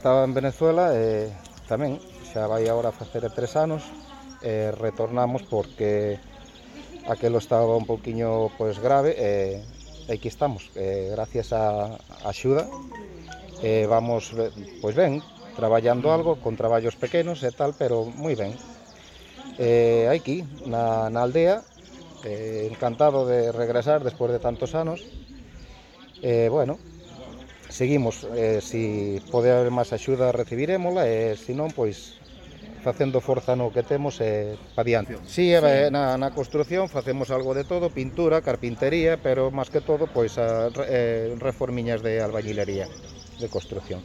Estaba en Venezuela tamén, xa vai agora a facer 3 anos, retornamos porque aquelo estaba un pouquiño grave e aquí estamos, gracias a axuda, vamos pois ben, traballando algo, con traballos pequenos e tal, pero moi ben. Aquí, na aldea, encantado de regresar despois de tantos anos, bueno, seguimos, si pode haber máis axuda recibirémola e se non, pois facendo forza no que temos e pa diante. Si, na construción facemos algo de todo, pintura, carpintería, pero máis que todo, pois reformiñas de albañilería, de construción.